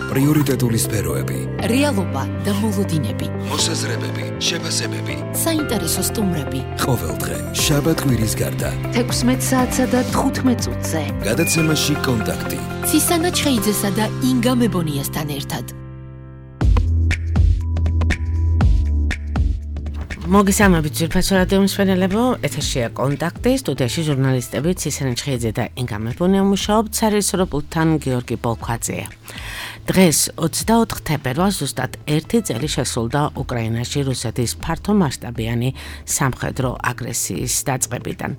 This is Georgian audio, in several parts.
პრიორიტეტული სფეროები, რეალობა და მოლოდინები, მოსაზრებები, შეფასებები, საინტერესო სტუმრები. ყოველდღე შაბათ-კვირის გარდა 16 საათსა და 15 წუთზე. გადაცემაში კონტაქტი. ცისანა ჩხეიძესა და ინგა მებონიასთან ერთად. მოგესალმებით ძვირფასო რადიო მსმენელებო, ეთერშია კონტაქტი, სტუდიაში ჟურნალისტები ცისანა ჩხეიძე და ინგა მებონია მუშაობთ, სარეჟისორო პულტთან გიორგი პოლქვაძეა. დღეს 24 თებერვალს ზუსტად 1 წელი შესრულდა უკრაინაში რუსეთის ფართომასშტაბიანი სამხედრო აგრესიის დაწყებიდან,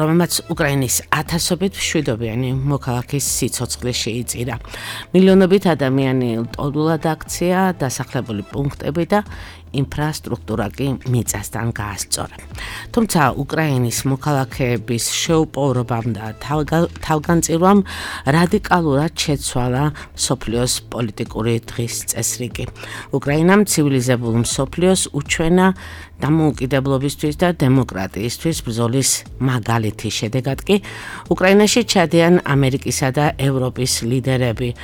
რომელმაც უკრაინის ათასობით მშვიდობიანი მოქალაქის სიცოცხლე შეიწირა. მილიონობით ადამიანი ტოლულად აქცია, დასახლებული პუნქტები და ინფრასტრუქტურა კი მიწასთან გაასწორა. თუმცა უკრაინის მოქალაქეების შეუპოვრობამ და თავგანწირვამ რადიკალურად შეცვალა მსოფლიოს პოლიტიკური დღის წესრიგი. უკრაინამ ცივილიზებულ მსოფლიოს უჩვენა დამოუკიდებლობისთვის და დემოკრატიისთვის ბრძოლის მაგალითი. შედეგად კი უკრაინაში ჩადიან ამერიკისა და ევროპის ლიდერები,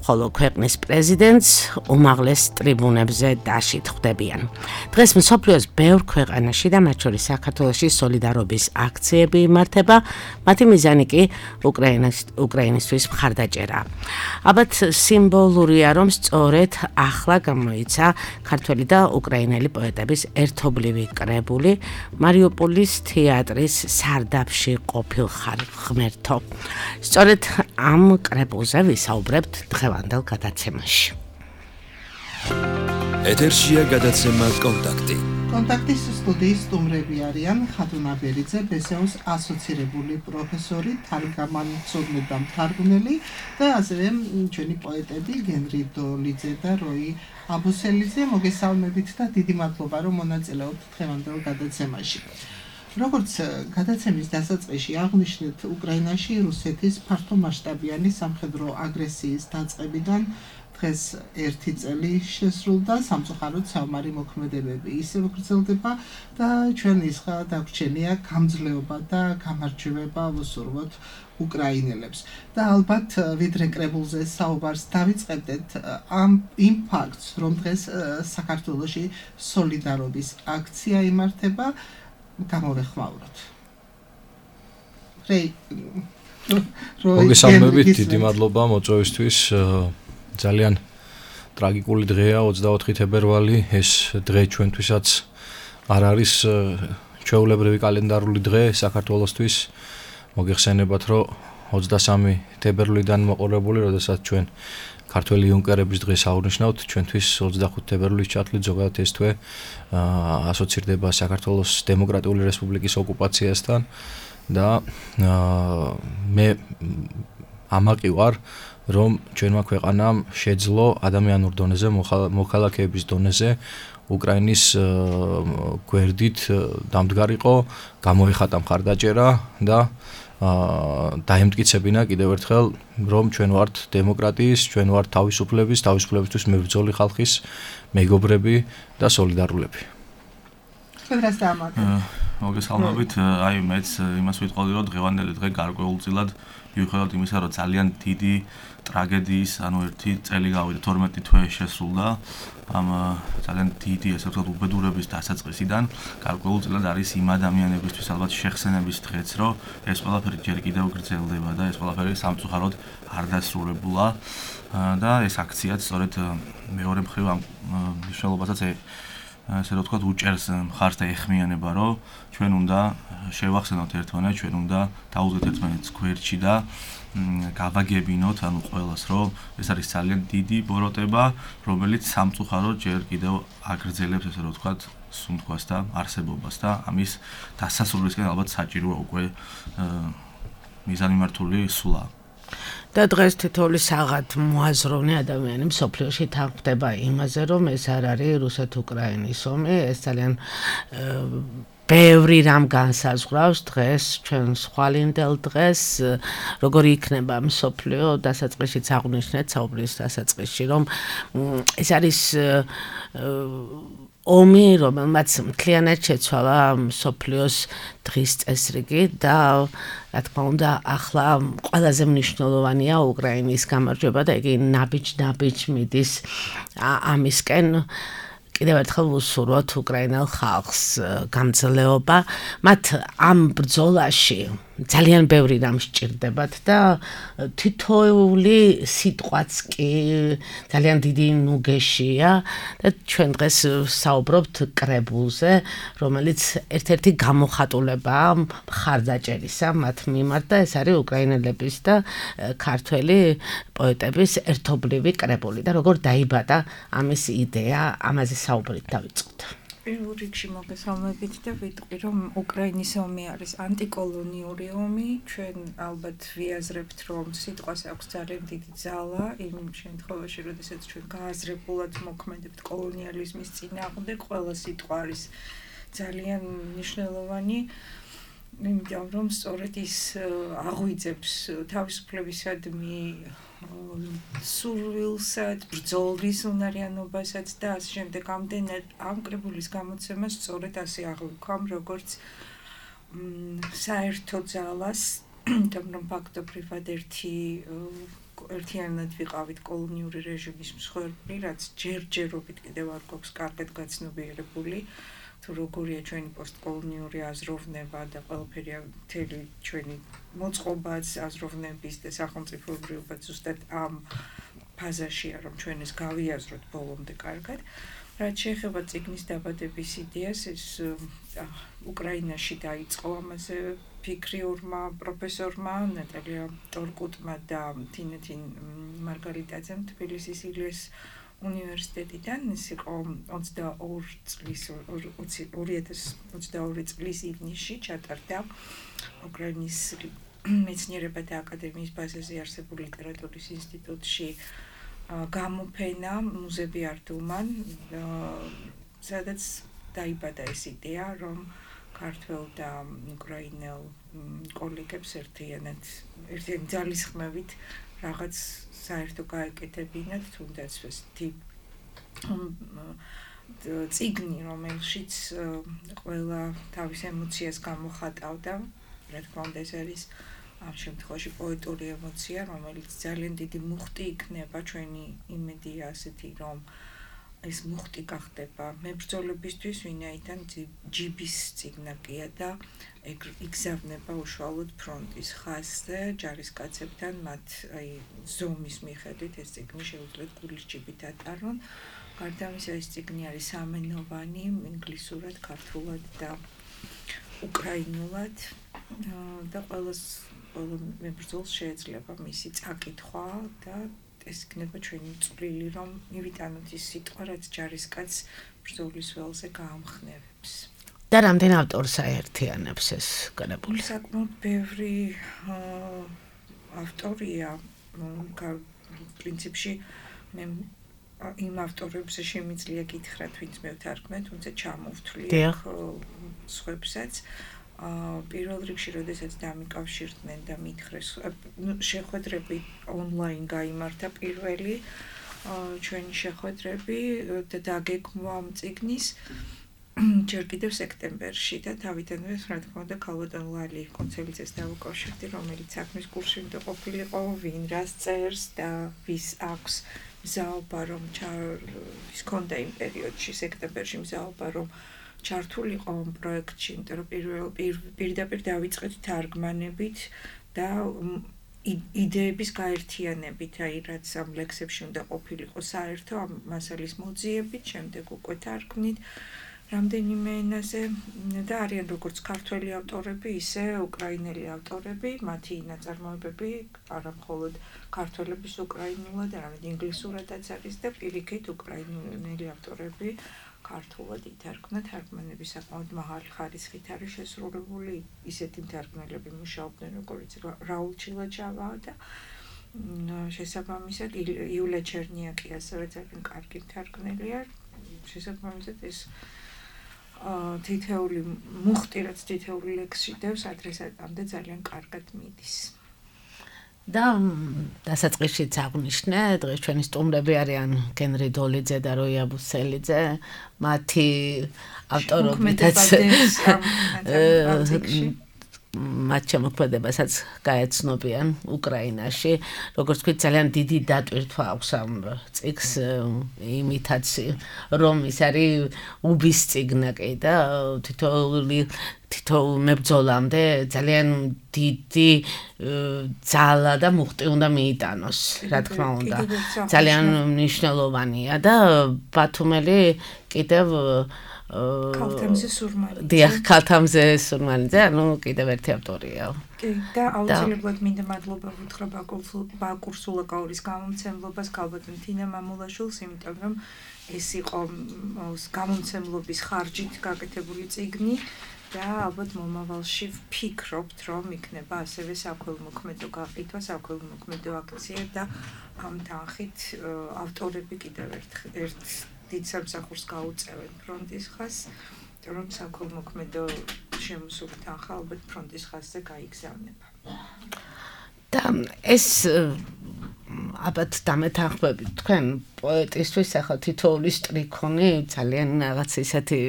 ხოლო ქვეყნის პრეზიდენტს უმაღლეს ტრიბუნებზე დაშით ხვდებიან. დღეს მსოფლიოს ბევრ ქვეყანაში და მათ შორის საქართველოში სოლიდარობის აქციები იმართება, მათი მიზანი კი უკრაინისთვის მხარდაჭერაა. ალბათ სიმბოლურია, რომ სწორედ ახლა გამოიცა ქართველი და უკრაინელი პოეტების ერთობლივი კრებული მარიუპოლის თეატრის სარდაფში ყოფილ ღმერთო. სწორედ ამ კრებულზე ვისაუბრებთ დღევანდელ გადაცემაში. ეთერშია გადაცემა კონტაქტი. კონტაქტის სტუდიის სტუმრები არიან ხატუნა ბერიძე, ბესეუს ასოცირებული პროფესორი, თარგმანცოდნე და მთარგმნელი და ასევე ჩვენი პოეტები გენრი დოლიძე და როი აბუსელიძე. მოგესალმებით და დიდი მადლობა, რომ მონაწილეობთ დღევანდელ გადაცემაში. როგორც გადაცემის დასაწყისში აღნიშნეთ, უკრაინაში რუსეთის ფართომასშტაბიანი სამხედრო აგრესიის დაწყებიდან დღეს 1 წელი შესრულდა, სამწუხაროდ საომარი მოქმედებები ისევ გრძელდება და ჩვენ ისხა დაგვრჩენია გამძლეობა და გამარჯვება ვუსურვოთ უკრაინელებს. და ალბათ ვიდრე კრებულზე საუბარს დავიწყებდეთ იმ ფაქტს, რომ დღეს საქართველოში სოლიდარობის აქცია იმართება, გამოვეხმაუროთ. მოგესალმებით, დიდი მადლობა მოწვევისთვის. ძალიან ტრაგიკული დღეა 24 თებერვალი. ეს დღე ჩვენთვისაც არ არის ჩვეულებრივი კალენდარული დღე საქართველოსთვის. მოგეხსენებათ, რომ 23 თებერვლიდან მოყოლებული, როდესაც ჩვენ ქართველი იუნკერების დღეს აღვნიშნავთ, ჩვენთვის 25 თებერვლის ჩათვლით ზოგადად ეს თვე ასოცირდება საქართველოს დემოკრატიული რესპუბლიკის ოკუპაციასთან და მე ამაყი ვარ, რომ ჩვენმა ქვეყანამ შეძლო ადამიანურ დონეზე, მოქალაქეების დონეზე უკრაინის გვერდით დამდგარიყო, გამოეხატა მხარდაჭერა და დაემტკიცებინა კიდევ ერთხელ, რომ ჩვენ ვართ დემოკრატიის, ჩვენ ვართ თავისუფლებისთვის მებრძოლი ხალხის მეგობრები და სოლიდარულები. მოგესალმებით, მეც იმას ვიტყოდი, რომ დღევანდელი დღე გარკვეულწილად მიუხედავად იმისა, რომ ძალიან დიდი ტრაგედიის, 1 წელი გავიდა, 12 თვე შესრულდა ამ ძალიან დიდი, ესე ვთქვათ, უბედურების დასაწყისიდან, გარკვეულწილად არის იმ ადამიანებისთვის ალბათ შეხსენების დღეც, რომ ეს ყველაფერი ჯერ კიდევ გრძელდება და ეს ყველაფერი სამწუხაროდ არ დასრულებულა და ეს აქციაც სწორედ მეორე მხრივ ამ მნიშვნელობასაც ესე რომ ვთქვათ, უჭერს მხარს და ეხმიანება, რომ ჩვენ უნდა შევახსენოთ ერთმანეთს, ჩვენ უნდა დაუძღოთ ერთმანეთს გვერდში და გავაგებინოთ, ანუ ყველას, რომ ეს არის ძალიან დიდი ბოროტება, რომელიც სამწუხაროდ ჯერ კიდევ აგრძელებს, ესე რომ ვთქვათ, სუნთქვას და არსებობას და ამის დასასრულისკენ ალბათ საჭიროა უკვე მიზანმიმართული სულა. და დღეს თითოეული საღად მოაზროვნე ადამიანი მსოფლიოში თანხმდება იმაზე, რომ ეს არ არის რუსეთ-უკრაინის ომი, ეს ძალიან ბევრი რამ განსაზღვრავს დღეს, ჩვენ სხვალინდელ დღეს, როგორი იქნება მსოფლიო, დასაწყისშიც აღვნიშნეთ საუბრის დასაწყისში, რომ ეს არის ომი, რომელმაც მთლიანად შეცვალა მსოფლიოს დღის წესრიგი და რა თქმა უნდა, ახლა ყველაზე მნიშვნელოვანია უკრაინის გამარჯვება და იგი ნაბიჯ მიდის ამისკენ. კიდევ ერთხელ ვუსურვოთ უკრაინელ ხალხს გამძლეობა. მათ ამ ბრძოლაში ძალიან ბევრი რამ სჭირდებათ და თითოეული სიტყვაც კი ძალიან დიდი ნუგეშია და ჩვენ დღეს საუბრობთ კრებულზე, რომელიც ერთ-ერთი გამოხატულებაა მხარდაჭერისა მათ მიმართ და ეს არის უკრაინელების და ქართველი პოეტების ერთობლივი კრებული და როგორ დაიბადა ამის იდეა, ამაზე საუბრით დავიწყოთ. პირველ რიგში მოგესალმებით და ვიტყვი, რომ უკრაინის ომი არის ანტიკოლონიური ომი. ჩვენ ალბათ ვიაზრებთ, რომ სიტყვას აქვს ძალიან დიდი ძალა იმ შემთხვევაში, როდესაც ჩვენ გააზრებულად მოქმედებთ კოლონიალიზმის წინააღმდეგ, ყველა სიტყვა არის ძალიან მნიშვნელოვანი. იმიტომ რომ სწორედ ის აღვიძებს თავისუფლებისადმი სურვილსაც, ბრძოლის უნარიანობასაც და ასე შემდეგ. ამდენად ამ კრებულის გამოცემას სწორედ ასე აღვიქვამ, როგორც საერთო ძალას, რომ ფაქტობრივად ერთიანად ვიყავით კოლონიური რეჟიმის მსხვერპლი, რაც ჯერჯერობით კიდევ არ გვაქვს კარგად გაცნობიერებული. თუ როგორია ჩვენი პოსტკოლონიური აზროვნება და ყველაფერი მთელი ჩვენი მოწყობაც აზროვნების და სახელმწიფოებრიობა ზუსტად ამ ფაზაშია, რომ ჩვენ ეს გავიაზროთ ბოლომდე კარგად. რაც შეეხება წიგნის დაბადების იდეას, ეს უკრაინაში დაიწყო ამაზე ფიქრი ორმა პროფესორმა, ნატალია ტორკუტმა და თინეთინ მარგარიტაძემ თბილისის ილიას უნივერსიტეტიდან. ეს იყო 2022 წლის ივნისში ჩატარდა უკრაინის მეცნიერებათა აკადემიის ბაზაზე არსებულ ლიტერატურის ინსტიტუტში გამოფენა მუზები არტუმან, სადაც დაიბადა ეს იდეა, რომ ქართველ და უკრაინელ კოლეგებს ერთიანი ძალისხმევით რაღაც საერთო გაეკეთებინათ, თუნდაც ესეთი წიგნი, რომელშიც ყველა თავის ემოციას გამოხატავდა. რა თქმა უნდა, ეს არის ამ შემთხვევაში პოეტური ემოცია, რომელიც ძალიან დიდი მუხტი იქნება. ჩვენი იმედია ასეთი, რომ ეს მუხტი გახდება მებრძოლებისთვის, ვინაიდან ჯიბის წიგნაკია და იგზავნება უშუალოდ ფრონტის ხაზზე ჯარისკაცებთან, მათ ზომის მიხედვით ეს წიგნი შეუძლიათ გულის ჯიბით ატარონ. გარდა ამისა, ეს წიგნი არის სამენოვანი, ინგლისურად, ქართულად და უკრაინულად და ყველა მებრძოლს შეეძლება მისი წაკითხვა და ეს იქნება ჩვენი წვლილი, რომ მივიტანოთ ის სიტყვა, რაც ჯარისკაცს ბრძოლის ველზე გაამხნევებს. და რამდენ ავტორს აერთიანებს ეს კრებული? საკმაოდ ბევრი ავტორია. პრინციპში მე იმ ავტორებზე შემიძლია გითხრათ, ვინც მე ვთარგმნე, თუმცა ჩამოვთვლი სხვებსაც. პირველ რიგში, როდესაც დამიკავშირდნენ და მითხრეს, შეხვედრები ონლაინ გაიმართა პირველი ჩვენი შეხვედრები და დაგეგმვა ამ წიგნის ჯერ კიდევ სექტემბერში და თავიდანვე, რა თქმა უნდა, ქალბატონ ლალი კონცელიძეს დავუკავშირდი, რომელიც საქმის კურსში უნდა ყოფილიყო, ვინ რას წერს და ვის აქვს მზაობა, რომ ის ქონდა იმ პერიოდში, სექტემბერში მზაობა, რომ ჩართულიყო ამ პროექტში, იმიტომ რომ პირდაპირ დავიწყეთ თარგმანებით და იდეების გაერთიანებით, რაც ამ ლექსებში უნდა ყოფილიყო საერთო ამ მასალის მოძიებით, შემდეგ უკვე თარგმნით რამდენიმე ენაზე და არიან როგორც ქართველი ავტორები, ისე უკრაინელი ავტორები, მათი ნაწარმოებები არა მხოლოდ ქართველების უკრაინულად, არამედ ინგლისურადაც არის და პირიქით უკრაინელი ავტორები ქართულად ითარგმნა, თარგმანები საკმაოდ მაღალი ხარისხით არის შესრულებული, ისეთი მთარგმნელები მუშაობდნენ, როგორც რაულ ჩილაჩავა და შესაბამისად იულია ჩერნიაკი ასევე ძალიან კარგი მთარგმნელია, შესაბამისად ეს თითეული მუხტი, რაც თითეული ლექსში დევს, ადრესატამდე ძალიან კარგად მიდის. და დასაწყისშიც აღნიშნე, დღეს ჩვენი სტუმრები არიან გენრი დოლიძე და როია ბუსელიძე, მათი ავტორობითაც მათ შემოქმედებასაც გაეცნობიან უკრაინაში. როგორც ვთქვით, ძალიან დიდი დატვირთვა აქვს ამ წიგნს იმითაც, რომ ის არის უბის წიგნაკი და თითოეულ მებრძოლამდე ძალიან დიდი ძალა და მუხტი უნდა მიიტანოს, რა თქმა უნდა. ძალიან მნიშვნელოვანია და ბათუმელი კიდევ ქალთამზე სურმალიძე. დიახ, ქალთამზე სურმალიძე, ანუ კიდევ ერთი ავტორია. კი, და აუცილებლად მინდა მადლობა ვუთხრა ბაკურ სულაკაურის გამომცემლობას, ქალბატონ თინა მამულაშვილს, იმიტომ რომ ეს იყო გამომცემლობის ხარჯით გაკეთებული წიგნი და ალბათ მომავალში ვფიქრობთ, რომ იქნება ასევე საქველმოქმედო გაყიდვა, საქველმოქმედო აქცია და ამ თანხით ავტორები კიდევ ერთ დიდ სამსახურს გაუწევენ ფრონტის ხაზს, რომ საქველმოქმედო შემოსული თანხა ალბათ ფრონტის ხაზზე გაიგზავნება. და ეს ალბათ დამეთანხმებით თქვენ პოეტისთვის ახლა თითოეული სტრიქონი ძალიან რაღაც ისეთი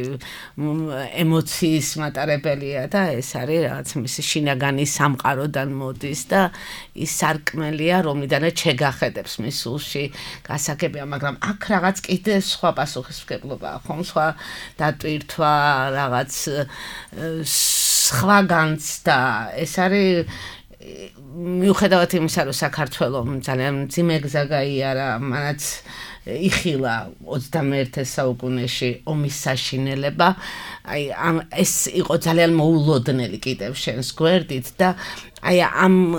ემოციის მატარებელია და ეს არის რაღაც მისი შინაგანი სამყაროდან მოდის და ის სარკმელია, რომლიდანაც შეგახედებს მის სულში გასაგებია, მაგრამ აქ რაღაც კიდე სხვა პასუხისმგებლობაა, ხომ სხვა დატვირთვა, რაღაც სხვა განცდა, ეს არის მიუხედავად იმისა, რომ საქართველოს ძალიან მძიმე გზა გაიარა, მანაც იხილა 21 საუკუნეში ომის საშინელება, აი ეს იყო ძალიან მოულოდნელი კიდევ შენს გვერდით და აი ამ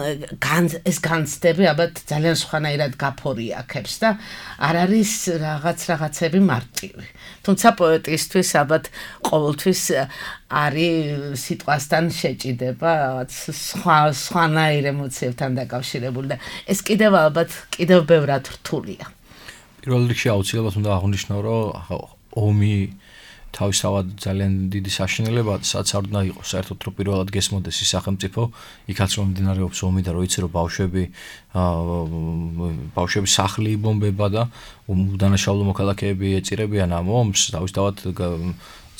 ეს განცდები ალბათ ძალიან სხვანაირად გაფორიაქებს და არ არის რაღაცები მარტივი. თუმცა პოეტისთვის ალბათ ყოველთვის არის სიტყვასთან შეჭიდება, რაღაც სხვანაირ ემოციებთან დაკავშირებული და ეს კიდევ ალბათ კიდევ ბევრად რთულია. პირველ რიგში აუცილებლად უნდა აღვნიშნო, რომ ომი თავისთავად ძალიან დიდი საშინელება, სადაც არ უნდა იყოს საერთოდ რომ პირველად გესმოდეს ის სახელმწიფო, იქაც რომ მიმდინარეობს ომი და რო იცი რომ ბავშვები სახლი იბომბება და უდანაშაულო მოქალაქეები ეწირებიან ამ ომს, თავისთავად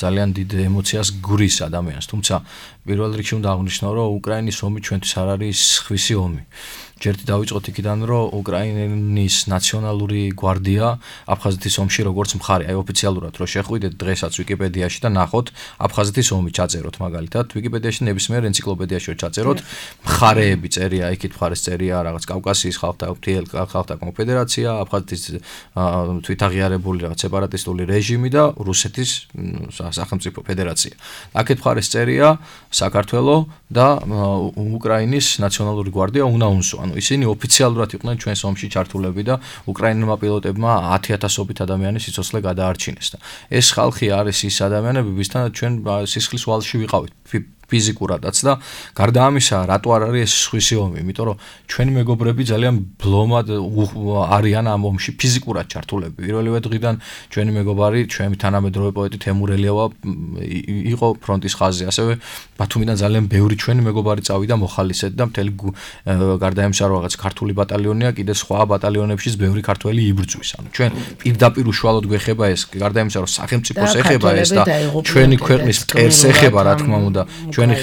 ძალიან დიდ ემოციას გვრის ადამიანს. თუმცა პირველ რიგში უნდა აღვნიშნო, რომ უკრაინის ომი ჩვენთვის არ არის სხვისი ომი. ჯერტი დავიწყოთ იქიდან, რომ უკრაინის ნაციონალური გვარდია აფხაზეთის ომში როგორც მხარე, აი ოფიციალურად რო შეხვიდეთ დღესაც ვიკიპედიაში და ნახოთ აფხაზეთის ომი ჩაწეროთ მაგალითად, ვიკიპედიაში ნებისმიერ ენციკლოპედიაში ჩაწეროთ, მხარეები წერია, იქით მხარეს წერია რაღაც კავკასიის ხალხთა კონფედერაცია, აფხაზეთის თვითაღიარებული რაღაც სეპარატისტული რეჟიმი და რუსეთის სახელმწიფო ფედერაცია. აქეთ მხარეს წერია საქართველო და უკრაინის ნაციონალური გვარდია UNAUNSO. ანუ ისინი ოფიციალურად იყვნენ ჩვენს ომში ჩართულები და უკრაინულმა პილოტებმა 10,000-ობით ადამიანის სიცოცხლე გადაარჩინეს და ეს ხალხი არის ის ადამიანები, ვისთანაც ჩვენ სისხლის ვალში ვიყავით ფიზიკურადაც და გარდა ამისა, რატო არ არის ეს სხვისი ომი? იმიტომ რომ ჩვენი მეგობრები ძალიან ბლომად არიან ამ ომში ფიზიკურად ჩართულები. პირველივე დღიდან ჩვენი მეგობარი, ჩვენი თანამედროვე პოეტი თემურ ელიავა იყო ფრონტის ხაზზე, ასევე ბათუმიდან ძალიან ბევრი ჩვენი მეგობარი წავიდა მოხალისედ და მთელი გარდა ამისა, რომ რაღაც ქართული ბატალიონია, კიდე სხვა ბატალიონებშიც ბევრი ქართველი იბრძვის. ანუ ჩვენ პირდაპირ უშუალოდ გვეხება ეს, გარდა ამისა, რომ სახელმწიფოს ეხება ეს და ჩვენი ქვეყნის მტერს ეხება, რა თქმა უნდა. ჩვენი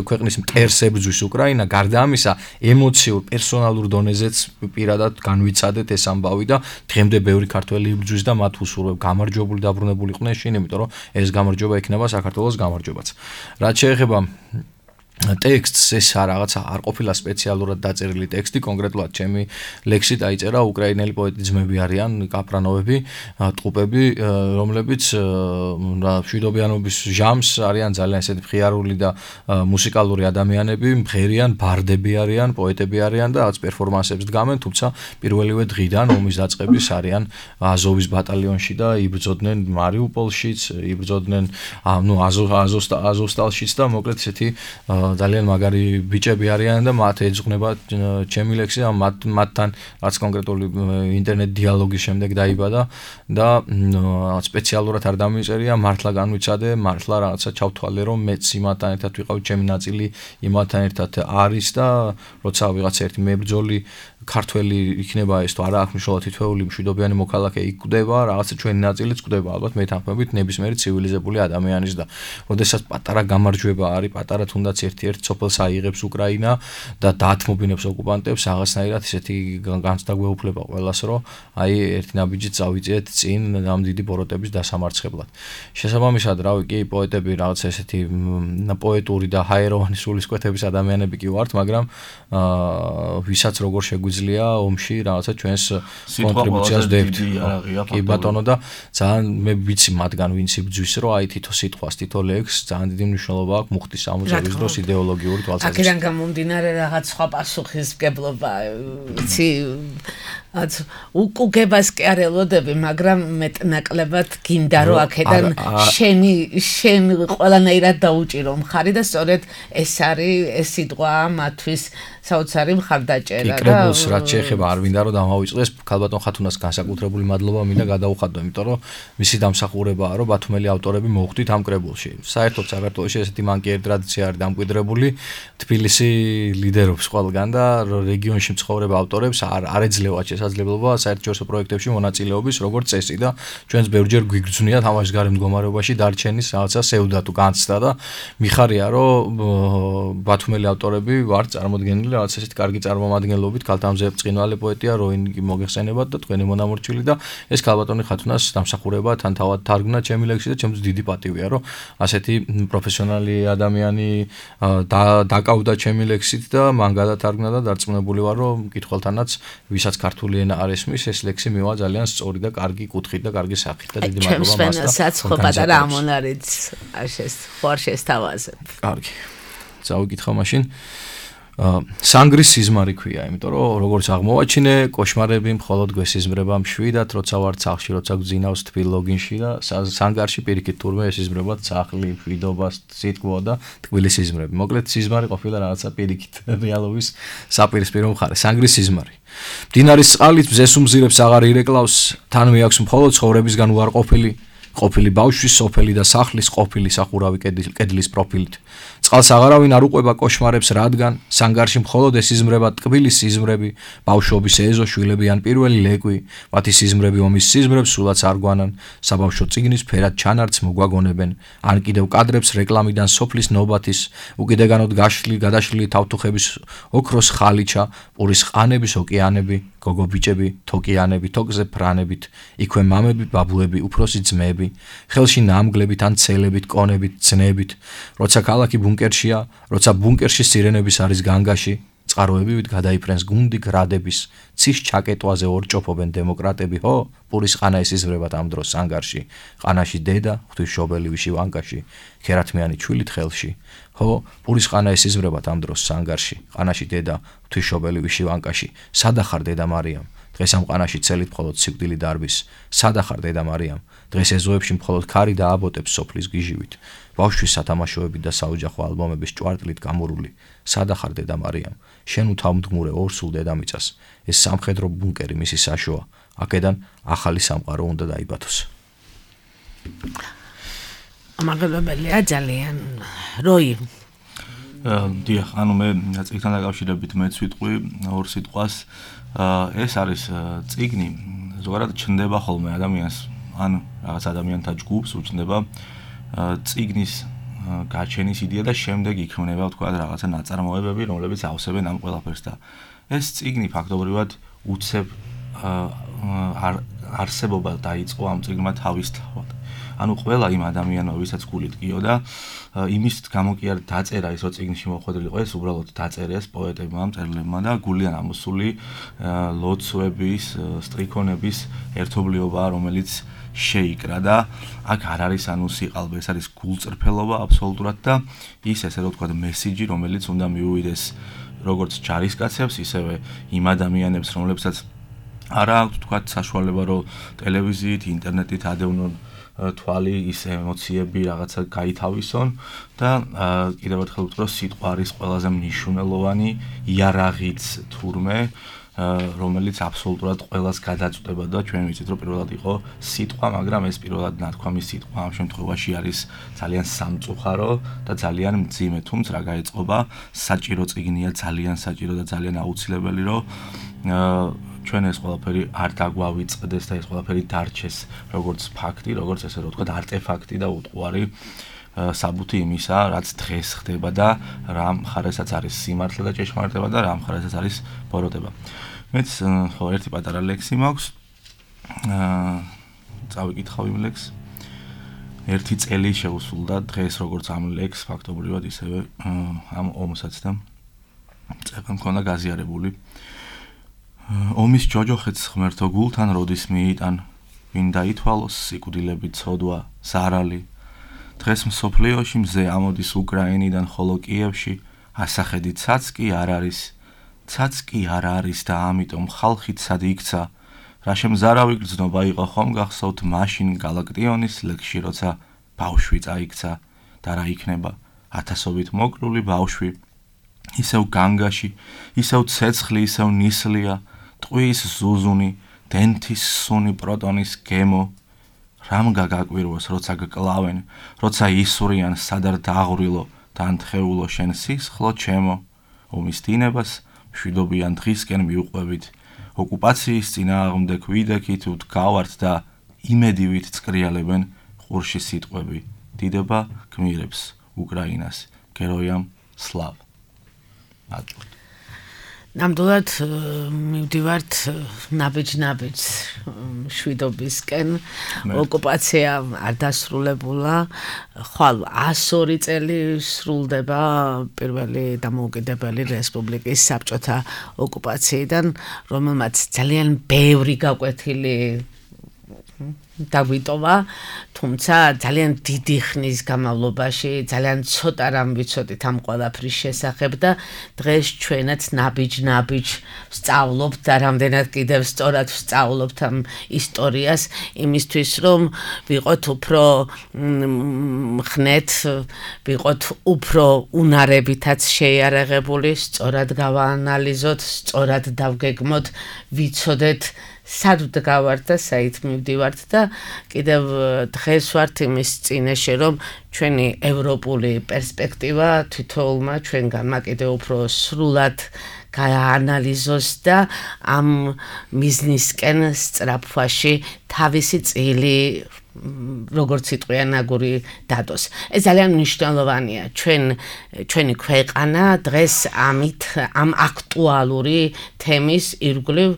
ქვეყნის მტერს ებრძვის უკრაინა, გარდა ამისა ემოციურ პერსონალურ დონეზეც პირადად განვიცადეთ ეს ამბავი და დღემდე ბევრი ქართველი იბრძვის და მათ უსურვებ გამარჯვებული დაბრუნებული იყვნენ შინ, იმიტომ რომ ეს გამარჯვება იქნება საქართველოს გამარჯვებაც. რაც შეეხება ტექსტს, ეს რაღაცა არ ყოფილა სპეციალურად დაწერილი ტექსტი, კონკრეტულად ჩემი ლექსი დაიწერა უკრაინელი პოეტი ძმები არიან, კაპრანოვები, ტყუპები, რომლებიც მშვიდობიანობის ჟამს არიან ძალიან ესეთი მხიარული და მუსიკალური ადამიანები, მღერიან, ბარდები არიან, პოეტები არიან და რაღაც პერფორმანსებს დგამენ, თუმცა პირველივე დღიდან ომის დაწყების არიან აზოვის ბატალიონში და იბრძოდნენ მარიუპოლშიც, იბრძოდნენ აზოვსტალშიც და მოკლედ ესეთი ძალიან მაგარი ბიჭები არიან და მათ ეძღვნება ჩემი ლექსი, მათთან რაც კონკრეტული ინტერნეტ დიალოგის შემდეგ დაიბადა და სპეციალურად არ დამიწერია, მართლა განვიცადე, მართლა რაღაცა ჩავთვალე, რომ მეც იმათთან ერთად ვიყავ, ჩემი ნაწილი იმათთან ერთად არის და როცა ვიღაცა ერთი მებრძოლი ქართველი იქნება ეს თუ არა აქვს მნიშვნელობა თითოეული მშვიდობიანი მოქალაქე იქ გვდება, რაღაცა ჩვენი ნაწილიც გვდება, ალბათ მე თანხმობით ნებისმიერი ცივილიზებული ადამიანის და როდესაც პატარა გამარჯვება არის, პატარა თუნდაც ერთ-ერთ სოფელს აიღებს უკრაინა და დაათმობინებს ოკუპანტებს, რაღაცნაირად ისეთი განცდა გვეუფლება ყველას, რომ აი ერთი ნაბიჯით წავიწიეთ წინ ამ დიდი ბოროტების დასამარცხებლად. შესაბამისად, რავი, კი პოეტები რაღაცა ესეთი პოეტური და ჰაეროვანი სულისკვეთების ადამიანები კი ვართ, მაგრამ ვისაც როგორ შეგვიძლია ომში რაღაცა ჩვენს კონტრიბუციას დებთ. კი ბატონო და ძალიან მე ვიცი მათგან ვინც იბძვის, რომ აი თითო სიტყვას, თითო ლექსს ძალიან დიდი მნიშვნელობა აქვს მუხტის ამოწევის დროს იდეოლოგიური თვალსაზრისით. აქედან გამომდინარე რაღაც სხვა პასუხისმგებლობა, ვიცი, უკუგებას კი არ ელოდები, მაგრამ მეტნაკლებად გინდა რომ აქედან შენ ყველანაირად დაუჭირო მხარი და სწორედ ეს არის ეს სიტყვა მათთვის საოცარი მხარდაჭერა და კრებულს რაც შეეხება არ მინდა რომ დამავიწყდეს ქალბატონ ხათუნას განსაკუთრებული მადლობა მინდა გადაუხადო, იმიტომ რომ მისი დამსახურებაა რომ ბათუმელი ავტორები მოხვდით ამ კრებულში. საერთოდ საქართველოში ესეთი მანკიერი ტრადიცია არის დამკვიდრებული, თბილისი ლიდერობს ყველგან და რეგიონში მცხოვრებ ავტორებს არ ეძლევა შესაძლებლობა საერთაშორისო პროექტებში მონაწილეობის როგორც წესი და ჩვენს ბევრჯერ გვიგრძვნია თამაშის გარე მდგომარეობაში დარჩენის რაღაცა სევდა თუ განცდა და მიხარია რომ ბათუმელი ავტორები ვართ წარმოდგენილი რაღაც ესეთი კარგი წარმომადგენლობით, ქალთამზე ბრწყინვალე პოეტია როინგი მოგეხსენებათ და თქვენი მონამორჩილი და ეს ქალბატონი ხათუნას დამსახურება თან თავად თარგმნა ჩემი ლექსი და ჩემთვის დიდი პატივია რომ ასეთი პროფესიონალი ადამიანი დაკავდა ჩემი ლექსით და მან გადათარგმნა და დარწმუნებული ვარ რომ მკითხველთანაც ვისაც ქართული ენა არ ესმის ეს ლექსი მივა ძალიან სწორი და კარგი კუთხით და კარგი სახით და დიდი მადლობა მას და ჩვენსაც ხო პატარა ამონარიც არ შესთავაზებ. კარგი. წავიკითხო მაშინ სანგრის სიზმარი ქვია, იმიტომ რომ როგორც აღმოვაჩინე, კოშმარები მხოლოდ გვესიზმრება მშვიდად, როცა ვარ ცახში, როცა გძინავს თბილ ლოგინში და სანგარში პირიქით თურმე ესიზმრებათ სახლი, მშვიდობა, სიტყვა და თბილი სიზმრები. მოკლედ სიზმარი ყოფილა რაღაცა პირიქით რეალობის საპირისპირო მხარე. სანგრის სიზმარი. მდინარის წყალით მზეს უმზირებს აღარ ირეკლავს, თან მეაქვს მხოლოდ ცხოვრებისგან უარყოფილი ყოფილი ბავშვის სოფელი და სახლის ყოფილი სახურავი კედლის პროფილით. წყალს აღარავინ არ უყვება კოშმარებს, რადგან სანგარში მხოლოდ ესიზმრება ტკბილი სიზმრები, ბავშვობის ეზო, შვილებიან პირველი ლეკვი, მათი სიზმრები ომის სიზმრებს სულაც არ გვანან, საბავშვო წიგნის ფერად ჩანართს მოგვაგონებენ, ან კიდევ კადრებს რეკლამიდან სოფლის ნობათის, უკიდეგანოდ გადაშლილი თავთუხების ოქროს ხალიჩა, პურის ყანების ოკეანები, გოგო ბიჭები, თოკიანები, თოკზე ფრანებით, იქვე მამები, ბაბუები, უფროსი ძმები, ხელში ნამგლებით ან ცელებით, კონებით, ძნებით, როცა ქალაქი ბუნკერშია, როცა ბუნკერში სირენების არის განგაში, წყაროებივით გადაიფრენს გუნდი გრადების, ცის ჩაკეტვაზე ორჭოფობენ დემოკრატები, ხო? პურის ყანა ესიზმრებათ ამ დროს სანგარში, ყანაში დედა, ღვთისმშობელი ვიშივანკაში, ქერათმიანი ჩვილით ხელში, ხო? პურის ყანა ესიზმრებათ ამ დროს სანგარში, ყანაში დედა, ღვთისმშობელი ვიშივანკაში, სადახარ დედა მარიამ? დღეს ამ ყანაში ცელით მხოლოდ სიკვდილი დარბის, სადახარ დედა მარიამ? დღეს ეზოებში მხოლოდ ქარი და აბოტებს სოფლის გიჟივით, ბავშვის სათამაშოებით და საოჯახო ალბომების ჭვარტლით გამორული, სადახარ დედა მარიამ? შენ უთავმდგმურე ორსულ დედამიწას, ეს სამხედრო ბუნკერი მისი საშოა, აქედან ახალი სამყარო უნდა დაიბათოს. ამაღლებელია ძალიან. როი დიახ, ანუ მე წიგნთან დაკავშირებით მეც ვიტყვი ორ სიტყვას. ეს არის წიგნი, ზოგადად ჩნდება ხოლმე ადამიანს, ან რაღაც ადამიანთა ჯგუფს უჩნდება წიგნის გაჩენის იდეა და შემდეგ იქმნება თქვა რაღაცა ნაწარმოებები, რომლებიც ავსებენ ამ ყველაფერს და ეს წიგნი ფაქტობრივად უცებ არსებობა დაიწყო ამ წიგნმა თავისთავად. ანუ ყველა იმ ადამიანმა, ვისაც გულით გიოდა, იმის გამო კი არ დაწერა ის, რომ წიგნში მოხვედრილიყო, ეს უბრალოდ დაწერეს პოეტებმა, მწერლებმა და გულიან ამოსული ლოცვების, სტრიქონების ერთობლიობა, რომელიც შეიკრა და აქ არ არის ანუ სიყალბე, ეს არის გულწრფელობა აბსოლუტურად და ის ესე რომ ვთქვა მესიჯი, რომელიც უნდა მიუვიდეს როგორც ჯარისკაცებს, ისევე იმ ადამიანებს, რომლებსაც არა აქვთ თქვა საშუალება რომ ტელევიზიით, ინტერნეტით ადევნონ თვალი, ის ემოციები რაღაცა გაითავისონ და კიდევ ერთხელ ვთქვი, რომ სიტყვა არის ყველაზე მნიშვნელოვანი იარაღიც თურმე რომელიც აბსოლუტურად ყველას გადაწყვეტება და ჩვენ ვიცით რომ პირველად იყო სიტყვა, მაგრამ ეს პირველად ნათქვამი სიტყვა ამ შემთხვევაში არის ძალიან სამწუხარო და ძალიან მძიმე, თუმცა რა გაეწყობა, საჭირო წიგნია, ძალიან საჭირო და ძალიან აუცილებელი რომ ჩვენ ეს ყველაფერი არ დაგვავიწყდეს და ეს ყველაფერი დარჩეს როგორც ფაქტი, როგორც ესე რომ ვთქვათ, არტეფაქტი და უტყუარი საბუთი იმისა, რაც დღეს ხდება და რა მხარესაც არის სიმართლე და ჭეშმარიტება და რა მხარესაც არის ბოროტება. მეც ხო ერთი პატარა ლექსი მაქვს. წავიკითხავ იმ ლექსს. ერთი წელი შეუსრულდა დღეს როგორც ამ ლექსს ფაქტობრივად ისევე ამ ომსაც და წერა მქონდა გაზიარებული. ომის ჯოჯოხეთს ღმერთო გულთან როდის მიიტან, ვინ დაითვალოს სიკვდილებით ცოდვა, ზარალი. დღეს მსოფლიოში მზე ამოდის უკრაინიდან, ხოლო კიევში ასახედი ცაცკი არ არის. ცაცკი არ არის და ამიტომ ხალხით სად იქცა. რა შემზარავი გრძნობა იყო ხომ გახსოვთ მაშინ გალაქტიონის ლექსში, როცა ბავშვი წაიქცა და რა იქნება ათასობით მოკრული ბავშვი. ისევ განგაში, ისევ ცეცხლი, ისევ ნისლია, ტყვის ზუზუნი, დენთის სუნი, პროტონის გემო. რამ გაგაკვირვოს, როცა გკლავენ, როცა ისვრიან სადარ დაღვრილო და ანთხეულო შენ სისხლო ჩემო. ომის დინებას მშვიდობიან დღისკენ მიუყვებით. ოკუპაციის წინააღმდეგ ვიდექით ვდგავართ და იმედივით წკრიალებენ ყურში სიტყვები. დიდება გმირებს უკრაინას, გეროიამ სლავ. ნამდვილად მივდივართ ნაბეჯ-ნაბეჯ მშვიდობისკენ. ოკუპაცია არ დასრულებულა. ხვალ 102 წელი სრულდება პირველი დამოუკიდებელი რესპუბლიკის საბჭოთა ოკუპაციიდან, რომელმაც ძალიან ბევრი გაკვეთილი დაგვიტოვა, თუმცა ძალიან დიდი ხნის განმავლობაში ძალიან ცოტა რამ ვიცოდით ამ ყველაფრის შესახებ და დღეს ჩვენაც ნაბიჯ-ნაბიჯ ვსწავლობთ და რამდენად კიდევ სწორად ვსწავლობთ ამ ისტორიას იმისთვის, რომ ვიყოთ უფრო ხნეთ, ვიყოთ უფრო უნარებითაც შეიარაღებული, სწორად გავაანალიზოთ, სწორად დავგეგმოთ, ვიცოდეთ სად ვდგავართ და საით მივდივართ და კიდევ დღეს ვართ იმის წინაშე, რომ ჩვენი ევროპული პერსპექტივა თითოეულმა ჩვენგანმა კიდევ უფრო სრულად გააანალიზოს და ამ მიზნისკენ სწრაფვაში თავისი წილი როგორც სიტყვიან აგური დადოს. ეს ძალიან მნიშვნელოვანია. ჩვენი ქვეყანა დღეს ამ აქტუალური თემის ირგვლივ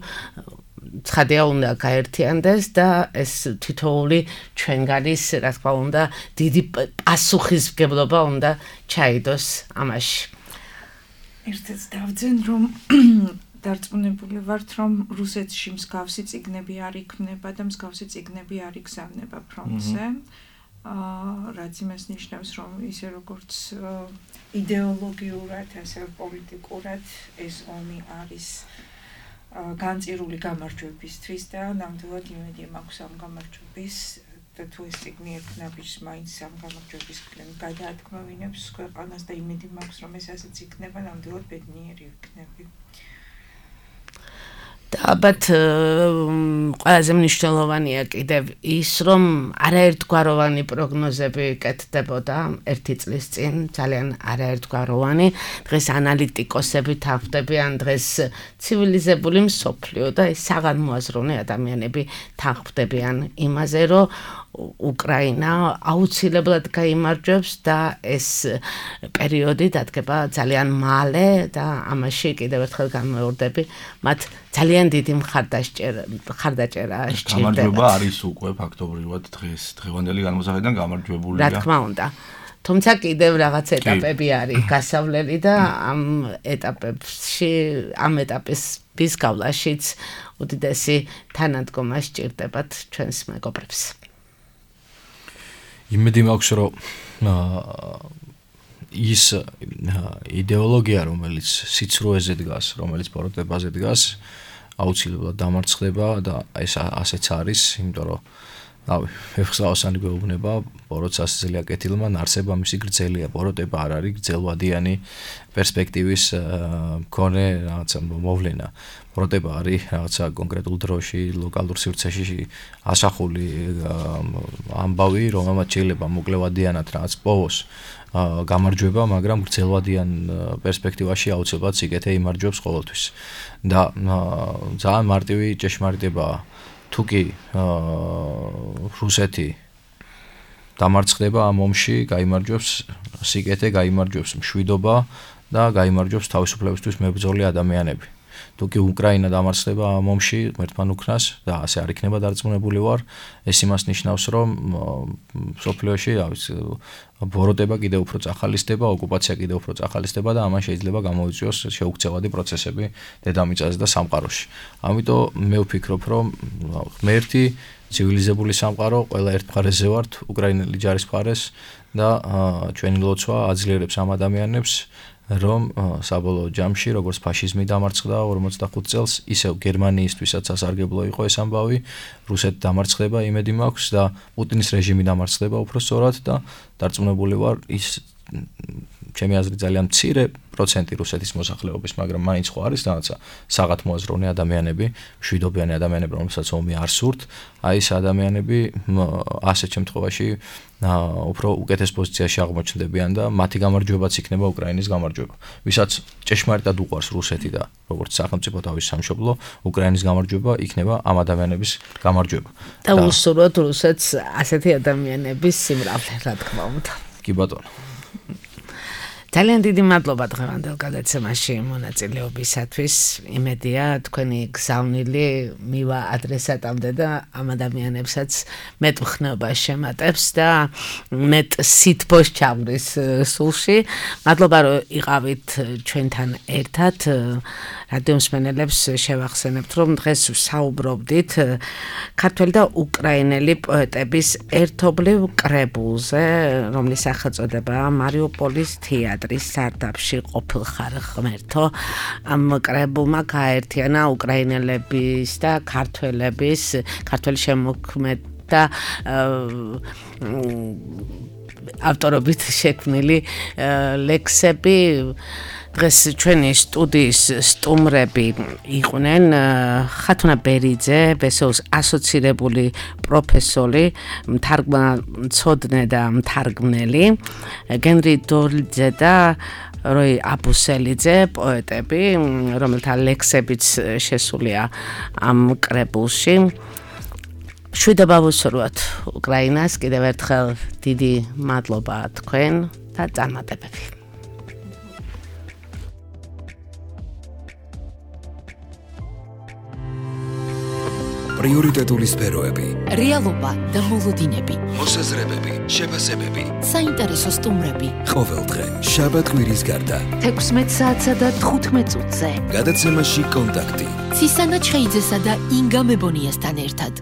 ცხადია უნდა გაერთიანდეს და ეს თითოეული ჩვენგანის, რა თქმა უნდა, დიდი პასუხისმგებლობა უნდა ჩაიდოს ამაში. ერთად დავძენ, რომ დარწმუნებული ვართ, რომ რუსეთში მსგავსი წიგნები არ იქმნება და მსგავსი წიგნები არ იგზავნება ფრონტზე. რაც იმას ნიშნავს, რომ ისე როგორც იდეოლოგიურად, ასევე პოლიტიკურად ეს ომი არის განწირული გამარჯვებისთვის და ნამდვილად იმედი მაქვს ამ გამარჯვების და თუ ეს წიგნი ერთნაბიჯს მაინც ამ გამარჯვების მხრიდან გადაადგმევინებს ქვეყანას და იმედი მაქვს, რომ ეს ასეც იქნება, ნამდვილად ბედნიერი ვიქნები. და ალბათ ყველაზე მნიშვნელოვანია კიდევ ის, რომ არაერთგვაროვანი პროგნოზები კეთდებოდა ერთი წლის წინ, ძალიან არაერთგვაროვანი. დღეს ანალიტიკოსები თანხმდებიან, დღეს ცივილიზებული მსოფლიო და საგანმოაზროვნე ადამიანები თანხმდებიან იმაზე, რომ უკრაინა აუცილებლად გაიმარჯვებს და ეს პერიოდი დადგება ძალიან მალე და ამაში კიდევ ერთხელ განმეორდები, მათ ძალიან დიდი მხარდაჭერა სჭირდება. გამარჯვება არის უკვე ფაქტობრივად დღეს დღევანდელი განმოსახედიდან გამარჯვებულია. რა თქმა უნდა. თუმცა კიდევ რაღაც ეტაპები არის გასავლელი და ამ ეტაპის გავლაშიც უდიდესი თანადგომა სჭირდებათ ჩვენს მეგობრებს. იმედი მაქვს, რომ ის იდეოლოგია, რომელიც სიცრუეზე დგას, რომელიც ბოროტებაზე დგას, აუცილებლად დამარცხდება და ეს ასეც არის, იმიტომ რომ რავი, ფეხსავსანი გვეუბნება, ბოროტს ასწელია კეთილმა, ნარსება მისი გრძელია, ბოროტება არ არის გრძელვადიანი პერსპექტივის მქონე რაღაცა მოვლენა. ბოროტება არის რაღაცა კონკრეტულ დროში, ლოკალურ სივრცეში ასახული ამბავი, რომელმაც შეიძლება მოკლევადიანად რაღაც პოვოს გამარჯვება, მაგრამ გრძელვადიან პერსპექტივაში აუცილებლად სიკეთე იმარჯვებს ყოველთვის. და ძალიან მარტივი ჭეშმარიტებაა. თუ კი რუსეთი დამარცხდება ამ ომში, გაიმარჯვებს სიკეთე, გაიმარჯვებს მშვიდობა და გაიმარჯვებს თავისუფლებისთვის მებრძოლი ადამიანები. თუ კი უკრაინა დამარცხდება ამ ომში, ღმერთთან უკრას და ასე არ იქნება დარწმუნებული ვარ, ეს იმას ნიშნავს, რომ სოფლიოში, ბოროტება კიდევ უფრო წახალისდება, ოკუპაცია კიდევ უფრო წახალისდება და ამან შეიძლება გამოიწვიოს შეუქცევადი პროცესები დედამიწაზე და სამყაროში. ამიტომ მე ვფიქრობ, რომ ღმერთი ცივილიზებული სამყარო ყველა ერთ მხარეზე ვართ, უკრაინელი ჯარის მხარეს და ჩვენი ლოცვა აძლიერებს ამ ადამიანებს, რომ საბოლოო ჯამში, როგორც ფაშიზმი დამარცხდა 45 წელს, ისევ გერმანიისთვისაც სასარგებლო იყო ეს ამბავი, რუსეთი დამარცხდება, იმედი მაქვს და პუტინის რეჟიმი დამარცხდება უფრო სწორად და დარწმუნებული ვარ, ის ჩემი აზრით ძალიან მცირე პროცენტი რუსეთის მოსახლეობის, მაგრამ მაინც ხო არის რაღაცა საღათ მოაზროვნე ადამიანები, მშვიდობიანი ადამიანები, რომელსაც ომი არ სურთ, აი ეს ადამიანები ასეთ შემთხვევაში უფრო უკეთეს პოზიციაში აღმოჩნდებიან და მათი გამარჯვებაც იქნება უკრაინის გამარჯვება. ვისაც ჭეშმარიტად უყვარს რუსეთი და როგორც სახელმწიფო თავის სამშობლო, უკრაინის გამარჯვება იქნება ამ ადამიანების გამარჯვება. და უსურვოთ რუსეთს ასეთი ადამიანების სიმრავლე, რა თქმა უნდა. კი ბატონო. ძალიან დიდი მადლობა დღევანდელ გადაცემაში მონაწილეობისათვის. იმედია თქვენი გზავნილი მივა ადრესატამდე და ამ ადამიანებსაც მეტ მხნეობას შემატებს და მეტ სითბოს ჩამრის სულში. მადლობა რომ იყავით ჩვენთან ერთად. რადიო მსმენელებს შევახსენებთ, რომ დღეს საუბრობდით ქართველი და უკრაინელი პოეტების ერთობლივ კრებულზე, რომლის სახელწოდებაა მარიუპოლის თეატრის სარდაფში ყოფილხარ ღმერთო. ამ კრებულმა გააერთიანა უკრაინელების და ქართველების, ქართველი შემოქმედ და ავტორობით შექმნილი ლექსები. დღეს ჩვენი სტუდიის სტუმრები იყვნენ ხათუნა ბერიძე, ბესოუს ასოცირებული პროფესორი, მთარგმნელი და მთარგმნელი, გენრი დოლიძე და როი აბუსელიძე, პოეტები, რომელთა ლექსებიც შესულია ამ კრებულში. შვიდობა ვუსურვოთ უკრაინას, კიდევ ერთხელ დიდი მადლობა თქვენ და წარმატებები. პრიორიტეტული სფეროები, რეალობა და მოლოდინები, მოსაზრებები, შეფასებები, საინტერესო სტუმრები. ყოველდღე შაბათ-კვირის გარდა 16 საათსა და 15 წუთზე. გადაცემაში კონტაქტი. ცისანა ჩხეიძესა და ინგა მებონიასთან ერთად.